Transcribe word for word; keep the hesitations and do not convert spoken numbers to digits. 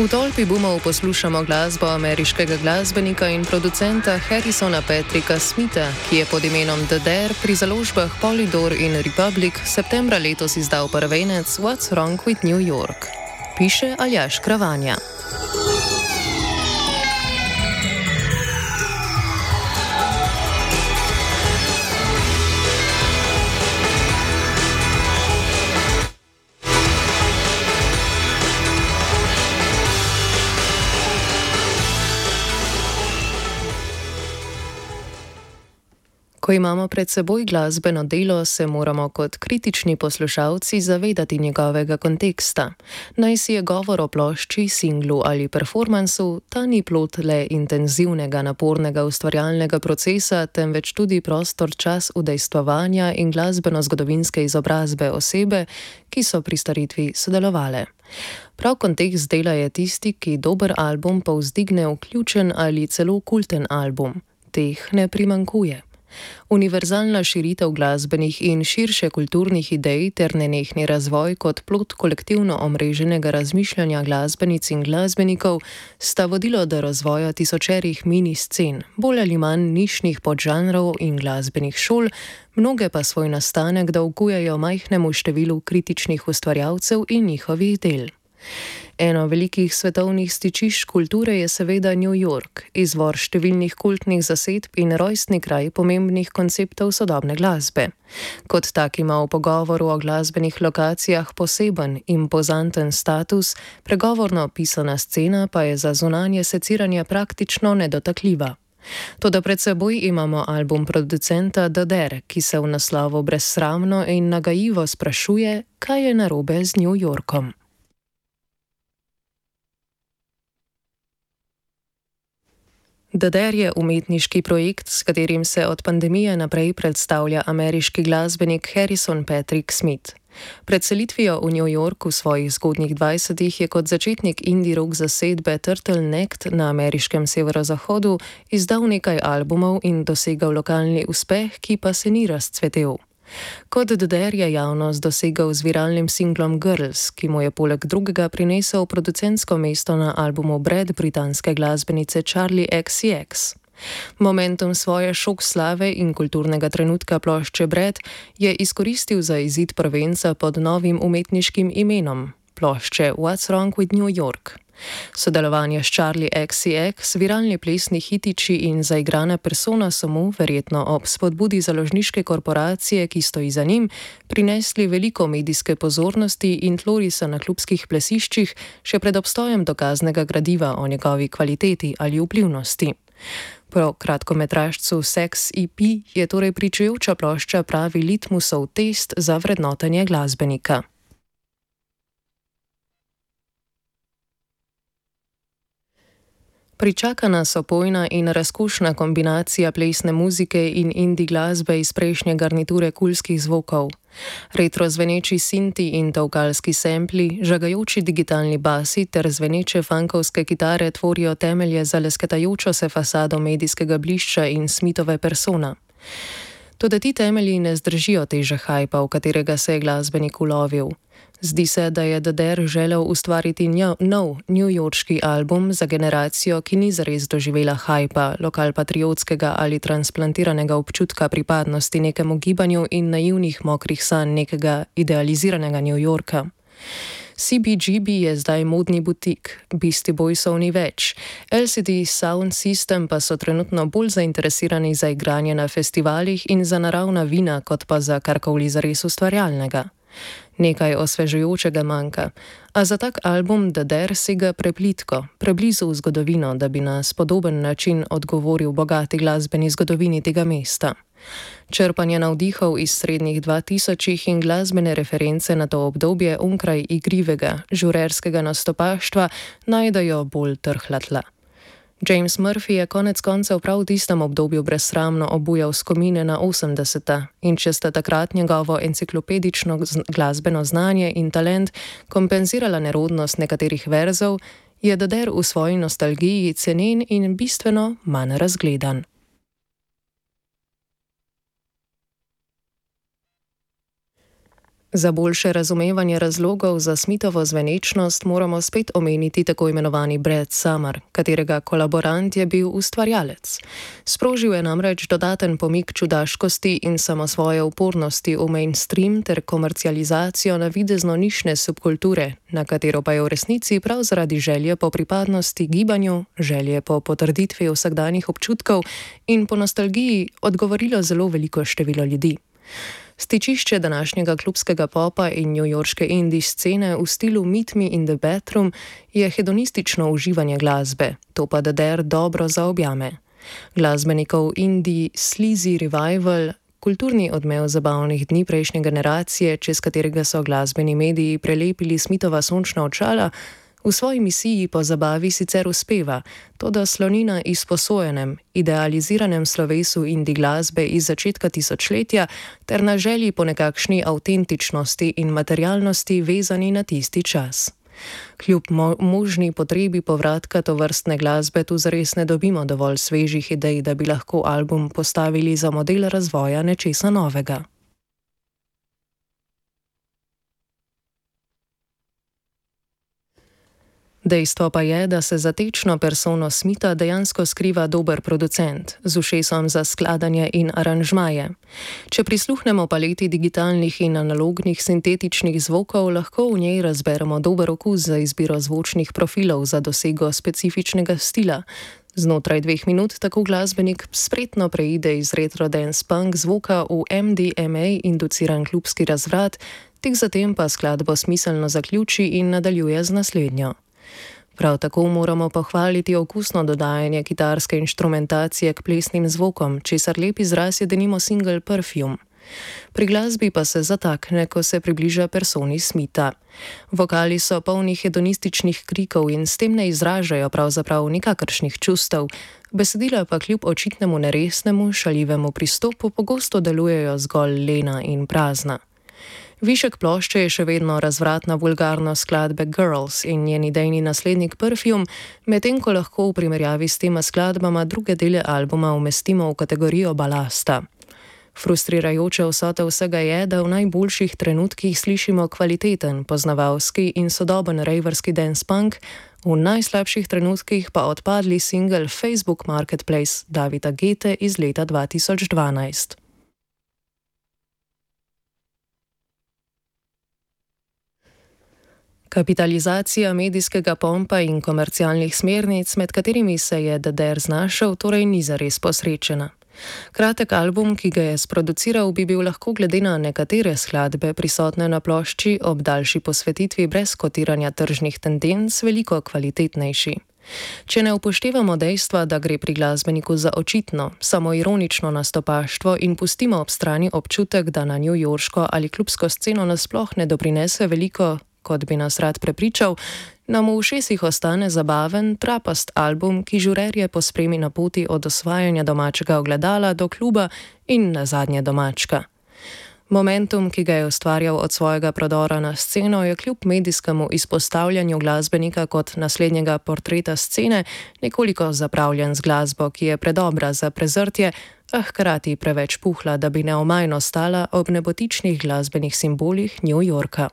V tolpi bumov poslušamo glasbo ameriškega glasbenika in producenta Harrisona Patricka Smitha, ki je pod imenom The Dare pri založbah Polydor in Republic septembra letos izdal prvenec What's Wrong with New York. Piše Aljaž Kravanja. Ko imamo pred seboj glasbeno delo, se moramo kot kritični poslušalci zavedati njegovega konteksta. Naj si je govor o plošči, singlu ali performansu, ta ni plod le intenzivnega, napornega ustvarjalnega procesa, temveč tudi prostor čas udejstvovanja in glasbeno-zgodovinske izobrazbe osebe, ki so pri staritvi sodelovale. Prav kontekst dela je tisti, ki dober album povzdigne v ključen ali celo kulten album. Teh ne primanjkuje. Univerzalna širitev glasbenih in širše kulturnih idej ter nenehni razvoj kot plod kolektivno omreženega razmišljanja glasbenic in glasbenikov sta vodilo do razvoja tisočerih mini-scen, bolj ali manj nišnih podžanrov in glasbenih šol, mnoge pa svoj nastanek dolgujejo majhnemu številu kritičnih ustvarjalcev in njihovih del. Eno velikih svetovnih stičišč kulture je seveda New York, izvor številnih kultnih zasedb in rojstni kraj pomembnih konceptov sodobne glasbe. Kot tak ima v pogovoru o glasbenih lokacijah poseben, impozanten status, pregovorno pisana scena pa je za zunanje seciranje praktično nedotakljiva. Toda pred seboj imamo album producenta The Dare, ki se v naslovu brezsramno in nagajivo sprašuje, kaj je narobe z New Yorkom. The Dare je umetniški projekt, s katerim se od pandemije naprej predstavlja ameriški glasbenik Harrison Patrick Smith. Pred selitvijo v New York v svojih zgodnjih dvajsetih je kot začetnik indie rock zasedbe Turtleneck na ameriškem severozahodu izdal nekaj albumov in dosegal lokalni uspeh, ki pa se ni razcvetel. Kot The Dare je javnost dosegal z viralnim singlom Girls, ki mu je poleg drugega prinesel producentsko mesto na albumu Bread britanske glasbenice Charli X C X. Momentum svoje šok slave in kulturnega trenutka plošče Bread je izkoristil za izid prvenca pod novim umetniškim imenom, plošče What's Wrong with New York. Sodelovanje s Charli X C X, viralni plesni hitiči in zaigrana persona so mu, verjetno ob spodbudi založniške korporacije, ki stoji za njim, prinesli veliko medijske pozornosti in tlorisa na klubskih plesiščih, še pred obstojem dokaznega gradiva o njegovi kvaliteti ali vplivnosti. Po kratkometražcu Sex E P je torej pričujoča plošča pravi litmusov test za vrednotenje glasbenika. Pričaka nas opojna in razkošna kombinacija plesne muzike in indie glasbe iz prejšnje garniture kulskih zvokov. Retro zveneči sinti in tolkalski sempli, žagajoči digitalni basi ter zveneče funkovske kitare tvorijo temelje za lesketajočo se fasado medijskega blišča in Smithove persona. Toda ti temelji ne zdržijo teže hajpa, v katerega se je glasbenik ulovil. Zdi se, da je The Dare želel ustvariti nov newyorški album za generacijo, ki ni zares doživela hajpa, lokalpatriotskega ali transplantiranega občutka pripadnosti nekemu gibanju in naivnih mokrih sanj nekega idealiziranega New Yorka. C B G B je zdaj modni butik, Beastie Boysov ni več, L C D Sound System pa so trenutno bolj zainteresirani za igranje na festivalih in za naravna vina, kot pa za karkoli zares ustvarjalnega. Nekaj osvežujočega manjka, a za tak album The Dare sega preplitko, preblizu v zgodovino, da bi na spodoben način odgovoril bogati glasbeni zgodovini tega mesta. Črpanje navdihov iz srednjih dvatisočih in glasbene reference na to obdobje onkraj igrivega, žurerskega nastopaštva najdejo bolj trhla tla. James Murphy je konec koncev prav v tistem obdobju brezsramno obujal skomine na osemdeseta in če sta takrat njegovo enciklopedično glasbeno znanje in talent kompenzirala nerodnost nekaterih verzov, je The Dare v svoji nostalgiji cenen in bistveno manj razgledan. Za boljše razumevanje razlogov za Smithovo zvenečnost moramo spet omeniti tako imenovani Brad Summer, katerega kolaborant je bil ustvarjalec. Sprožil je namreč dodaten pomik čudaškosti in samosvoje upornosti v mainstream ter komercializacijo navidezno nišne subkulture, na katero pa je v resnici prav zaradi želje po pripadnosti gibanju, želje po potrditvi vsakdanjih občutkov in po nostalgiji odgovorilo zelo veliko število ljudi. Stičišče današnjega klubskega popa in newyorške indie scene v stilu Meet Me in the Bathroom je hedonistično uživanje glasbe, to pa The Dare dobro zaobjame. Glasbenikov indie sleazy revival, kulturni odmev zabavnih dni prejšnje generacije, čez katerega so glasbeni mediji prelepili Smithova sončna očala, v svoji misiji po zabavi sicer uspeva, toda sloni na izposojenem, idealiziranem slovesu indie glasbe iz začetka tisočletja ter na želji po nekakšni avtentičnosti in materialnosti vezani na tisti čas. Kljub mo- možni potrebi povratka tovrstne glasbe tu zares ne dobimo dovolj svežih idej, da bi lahko album postavili za model razvoja nečesa novega. Dejstvo pa je, da se za tečno persono Smitha dejansko skriva dober producent, z ušesom za skladanje in aranžmaje. Če prisluhnemo paleti digitalnih in analognih sintetičnih zvokov, lahko v njej razberemo dober okus za izbiro zvočnih profilov za dosego specifičnega stila. Znotraj dveh minut tako glasbenik spretno preide iz retro dance punk zvoka v M D M A induciran klubski razvrat, tik zatem pa skladbo smiselno zaključi in nadaljuje z naslednjo. Prav tako moramo pohvaliti okusno dodajanje kitarske inštrumentacije k plesnim zvokom, česar lep izraz je denimo single Perfume. Pri glasbi pa se zatakne, ko se približa personi Smitha. Vokali so polni hedonističnih krikov in s tem ne izražajo pravzaprav nikakršnih čustev, besedila pa kljub očitnemu neresnemu, šaljivemu pristopu pogosto delujejo zgolj lena in prazna. Višek plošče je še vedno razvratna vulgarnost skladbe Girls in njen idejni naslednik Perfume, medtem ko lahko v primerjavi s tema skladbama druge dele albuma umestimo v kategorijo balasta. Frustrirajoče vsote vsega je, da v najboljših trenutkih slišimo kvaliteten, poznavalski in sodoben rejverski dance punk, v najslabših trenutkih pa odpadli single Facebook Marketplace Davida Gete iz leta dva tisoč dvanajst. Kapitalizacija medijskega pompa in komercialnih smernic, med katerimi se je The Dare znašel, torej ni zares posrečena. Kratek album, ki ga je sproduciral, bi bil lahko glede na nekatere skladbe prisotne na plošči ob daljši posvetitvi brez kotiranja tržnih tendenc veliko kvalitetnejši. Če ne upoštevamo dejstva, da gre pri glasbeniku za očitno, samoironično nastopaštvo in pustimo ob strani občutek, da na newyorško ali klubsko sceno nasploh ne doprinese veliko, kot bi nas rad prepričal, nam v ušesih ostane zabaven, trapast album, ki žurerje pospremi na poti od osvajanja domačega ogledala do kluba in nazadnje domačka. Momentum, ki ga je ustvarjal od svojega prodora na sceno, je kljub medijskemu izpostavljanju glasbenika kot naslednjega portreta scene nekoliko zapravljen z glasbo, ki je predobra za prezrtje, a hkrati preveč puhla, da bi neomajno stala ob nebotičnih glasbenih simbolih New Yorka.